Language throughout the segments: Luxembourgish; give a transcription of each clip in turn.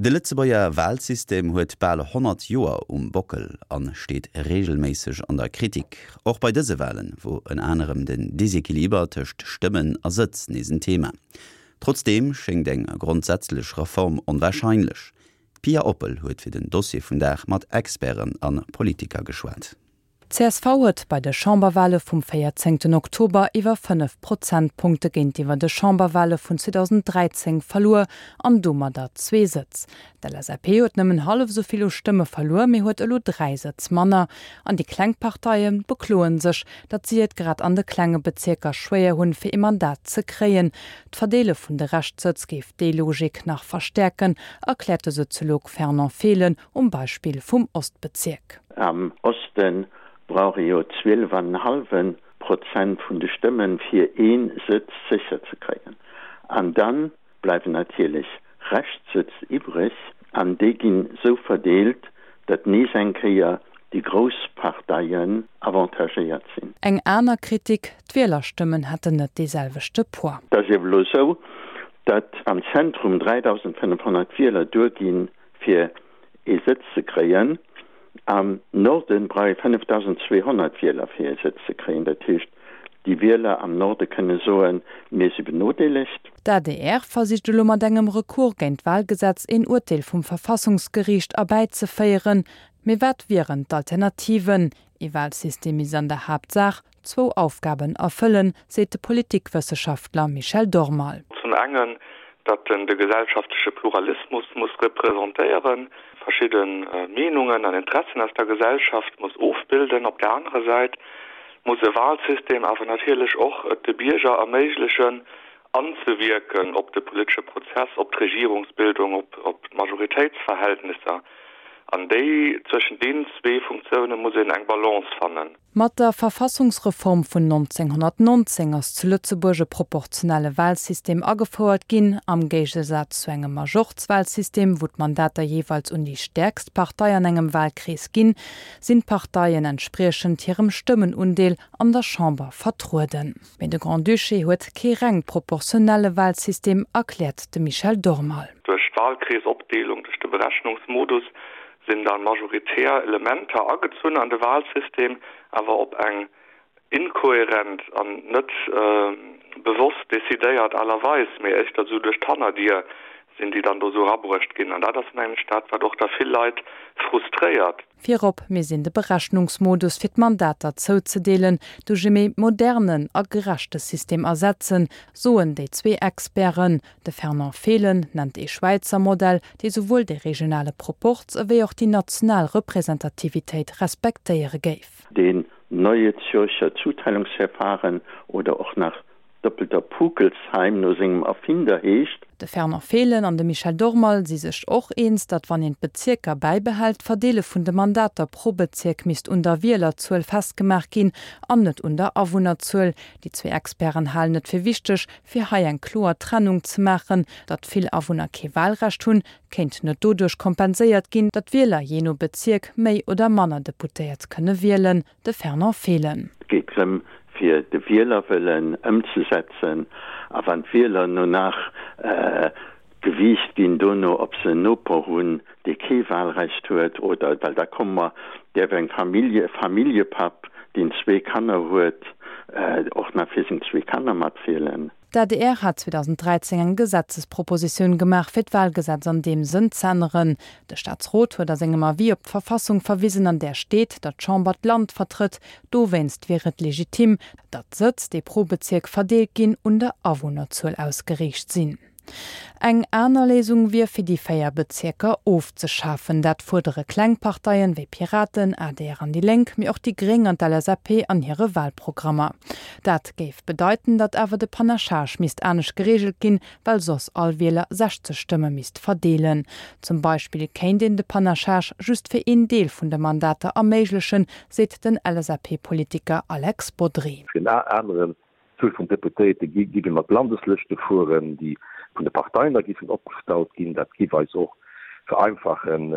De Lëtzebuerger Walsystem huet bal 100 Joer um Bockel a steet reegelméisseg an der Kritik. Och bei dëse Walen wor ënner anerem den Desequiliber tëscht Stëmmen a Sëtz nees en Thema. Trotzdeem schéngt eng grondsätzlech Reform onwarscheinlech. D'Pia Oppel huet fir den Dossier vum Dag mat Experten a Politiker geschwat. Csv huet bei de Chamberwale vum 14 Oktober iwwer 5 Prozentpunkte géintiwwer de Chamberwale vun 2013 verluer an domadder zwee Sëtz. D'LSAP huet nëmmen hallef esou vill u Stëmme verluer, mee huet elo 3 Sëtz manner. An déi kleng Parteie bekloe sech, datt si et grad an de klenge Bezierker schwéier hunn, fir ee Mandat ze kréien. D'Verdeele vun de Reschtsëtz géif déi Logik nach verstäerken, erkläert de Soziolog Fernand Fehlen um Beispill vum Ostbezierk. Am Oste brauch ee jo 12 an en hallwe Prozent vun de Stëmmen, fir ee Sëtz sécher ze kréien. An da bleiwen natierlech Reschtsëtz iwwreg an déi ginn esou verdeelt, datt nees eng Kéier déi grouss Parteien avantagéiert sinn. Eng aner Kritik, D'Wielerstëmmen hätten net dee selwechte Poids. Et ass iewer elo esou, datt am Zentrum 3.500 Wieler duerginn, fir ee Sëtz ze kréien. Am Norden brauch ee 5.200 Wieler fir ee Sëtz ze kréien. Dat heescht, déi Wieler am Norde kënne soen, mir si benodeelegt. D'adr versicht elo mat engem Recours géint d'Wahlgesetz een Urteel vum Verfassungsgeriicht erbäizeféieren. Mee wat wieren d'Alternativen? Ee Wahlsystem misst an der Haaptsaach zwou Aufgaben erfëllen, seet de Politikwësseschaftler Michel Dormal. Zum engen, datt en de gesellschaftleche Pluralismus muss representéieren, verschidde Meenungen an Interessen aus der Gesellschaft muss ofbilden. Op der anerer Säit muss e Wahlsystem awer natierlech och et de Bierger erméiglechen, anzewierken op de politesche Prozess, op d'Regierungsbildung, op d'Majoritéitsverhältnisser. An déi, zwëschen deenen zwee Funktioune muss een eng Balance fannen. Mat der Verfassungsreform vun 1919 ass zu Lëtzebuerg e proportionelle Wahlsystem agefouert ginn. Am Géigesaz zu engem Majorzwahlsystem, wou d'Mandater jeeweils un déi stäerkst Partei an engem Wahlkrees ginn, sinn d'Parteien entspriechend hirem Stëmmenundeel an der Chamber vertrueden. Mee de Grand-Duché huet kee reng proportionelle Wahlsystem, erkläert de Michel Dormal. Duerch d'Wahlkreesopdeelung, duerch de Berechnungsmodus sinn da majoritär Elementer agezunn an de Wahlsystem, awer op eng inkohärent an net bewosst decidéiert Aart a Weis, mee éischter esou duerch d'Hannerdier sinn déi dann do esou erabruecht ginn. An dat ass, mengen ech, dat, wat och da vill Leit frustréiert. Virop misst een de Berechnungsmodus fir d'Mandater zouzedeelen duerch e méi modernen a gerechte System ersetzen, soen déi zwee Experten. De Fernand Fehlen nennt ee Schwäizer Modell, dee souwuel de regionale Proporz ewéi och déi national Representativitéit respektéiere géif. Deen Neue Zürcher Zuteilungsverfahren oder och nach Doppelter Pukelsheim no sengem Erfinder heescht. De Fernand Fehlen an de Michel Dormal si sech och eens, datt wann een d'Bezierker bäibehält, d'Verdeele vun de Mandater pro Bezierk misst un der Wielerzuel festgemaach ginn an net un der Awunnerzuel. Déi zwee Experten halen et fir wichteg, fir hei eng kloer Trennung ze maachen. Datt vill Awunner kee Walrecht hunn, kéint net doduerch kompenséiert ginn, datt d'Wieler jee no Bezierk méi oder manner Deputéiert kënne wielen. De Fernand Fehlen. Et geet drëm, fir de Wielerwëllen ëmzesetzen. A wann d'Wieler no nach gewiicht ginn dono, ob se en Noper hunn, dee kee Wahlrecht huet, oder, well da komme mer, däerf eng Famillje, e Familljepapp, deen zwee Kanner huet, och nach fir seng zwee Kanner matwielen. D'adr hat 2013 eng Gesetzespropositioun gemaach, fir d'Wahlgesetz an deem Sënn z'änneren. De Staatsrot huet a sengem Avis op d'Verfassung verwisen, an där steet, datt d'Chamber d'Land vertrëtt. Dowéinst wier et legitim, datt d'Sëtz, déi pro Bezierk verdeelt ginn, un der Awunnerzuel ausgeriicht sinn. Eng aner Léisung wier, fir déi 4 Bezierker ofzeschafen. Dat fuerdere kleng Parteien wéi Piraten, adr an déi Lénk, mee och déi Gréng an d'LSAP an hire Wahlprogrammer. Dat géif bedeiten, datt awer de Panachage misst anescht gereegelt ginn, well soss all Wieler 60 Stëmme misst verdeelen. Zum Beispill kéint een de Panachage just fir een Deel vun de Mandater erméiglechen, seet den LSAP-Politiker Alex Bodry. Fir en aneren D'Zuel vun Deputéierte géif ee mat Landeslëschte fueren, déi vun de Parteien da géifen opgestallt ginn. Dat géif eis och vereinfachen,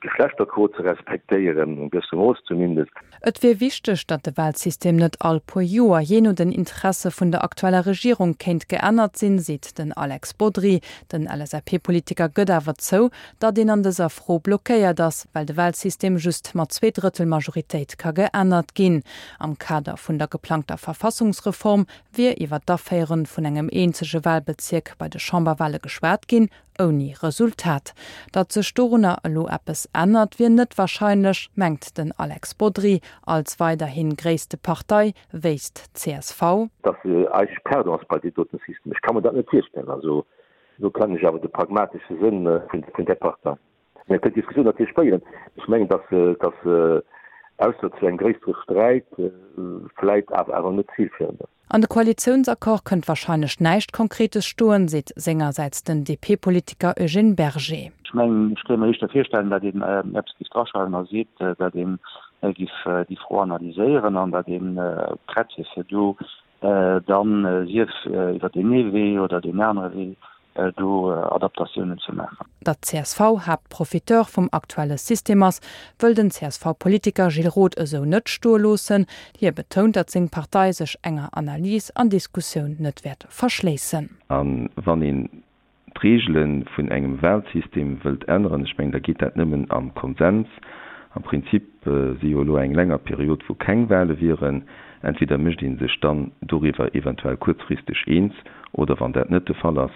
d'Geschlechterquot ze respektéieren, en gewësse Mooss zumindest. Et wier wichteg, datt de Wahlsystem net all puer Joer, jee no den Interesse vun der aktueller Regierung, kéint geännert sinn, seet den Alex Bodry. Den LSAP-Politiker gëtt awer zou, datt een an dëser Fro blockéiert ass, well de Wahlsystem just mat Zweedrëttelmajoritéit ka geännert ginn. Am Kader vun der geplangter Verfassungsreform wier iwwer d'Aféiere vun engem eenzege Wahlbezierk bei de Chamberwahle geschwat ginn, Ouni Resultat. Datt sech dorunner elo eppes ännert, wier net warscheinlech, mengt den Alex Bodry. Als weiderhi gréisste Partei wéisst d'CSV. Datt se eigentlech perdant ass bei deem doten System. Ech ka mer dat net virstellen. Also do kennen ech awer de pragmatesche Sënn vun där Partei. Mir kënnen d'Diskussioun natierlech féieren. Ech mengen, datt se ausser zu engem gréissere Sträit vläit awer net zilféierend ass. An de Koalitiounsaccord kënnt warscheinlech näischt Konkretes stoen, seet sengersäits den DP-Politiker Eugène Berger. Ech mengen, ech kéint mer éischter virstellen, datt een eppes géif draschreiwen a seet, datt ee géif déi Fro analyséieren an datt ee prett wier, fir do dann, sief iwwer deen ee Wee oder deen anere Wee, do Adaptatiounen ze maachen. Datt d'CSV Haaptprofiteur vum aktuelle System ass, wëll den CSV-Politiker Gilles Roth esou net stoe loossen. Hie betount, datt seng Partei sech enger Analys an Diskussioun net wäert verschléissen. A wann een d'Reegele vun engem Wahlsystem wëllt änneren, ech mengen, da geet dat nëmmen am Konsens. Am Prinzip si jo elo eng länger Period, wou keng Wahle wieren. Entweder mécht ee sech dann doriwwer eventuell kuerzfristeg eens, oder wann dat net de Fall ass,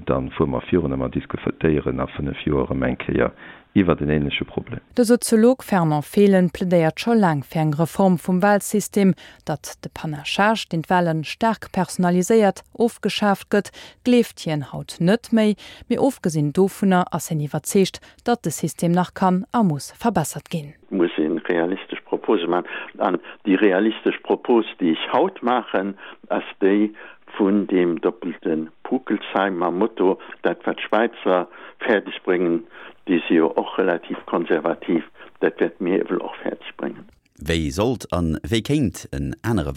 da fuere mer virun a mer diskutéieren a 5 Joer erëm eng Kéier iwwert en ähnleche Problem. De Soziolog Fernand Fehlen plädéiert scho laang fir eng Reform vum Wahlsystem. Datt de Panachage, deen d'Wahle staark personaliséiert, ofgeschaaft gëtt, gleeft hien haut net méi. Mee ofgesinn dovunner ass hien iwwerzeegt, datt de System nach kann a muss verbessert ginn. Et muss ee realistesch Propose maachen. An déi realistesch Propos, déi ech haut maachen, ass déi vun deem doppelte Pukelsheim mam Motto, dat wat d'Schwäizer fäerdeg bréngen, déi si jo och relativ konservativ, dat wäerte mir ewell och fäerdeg bréngen. Wéi sollt an wéi kéint en anere.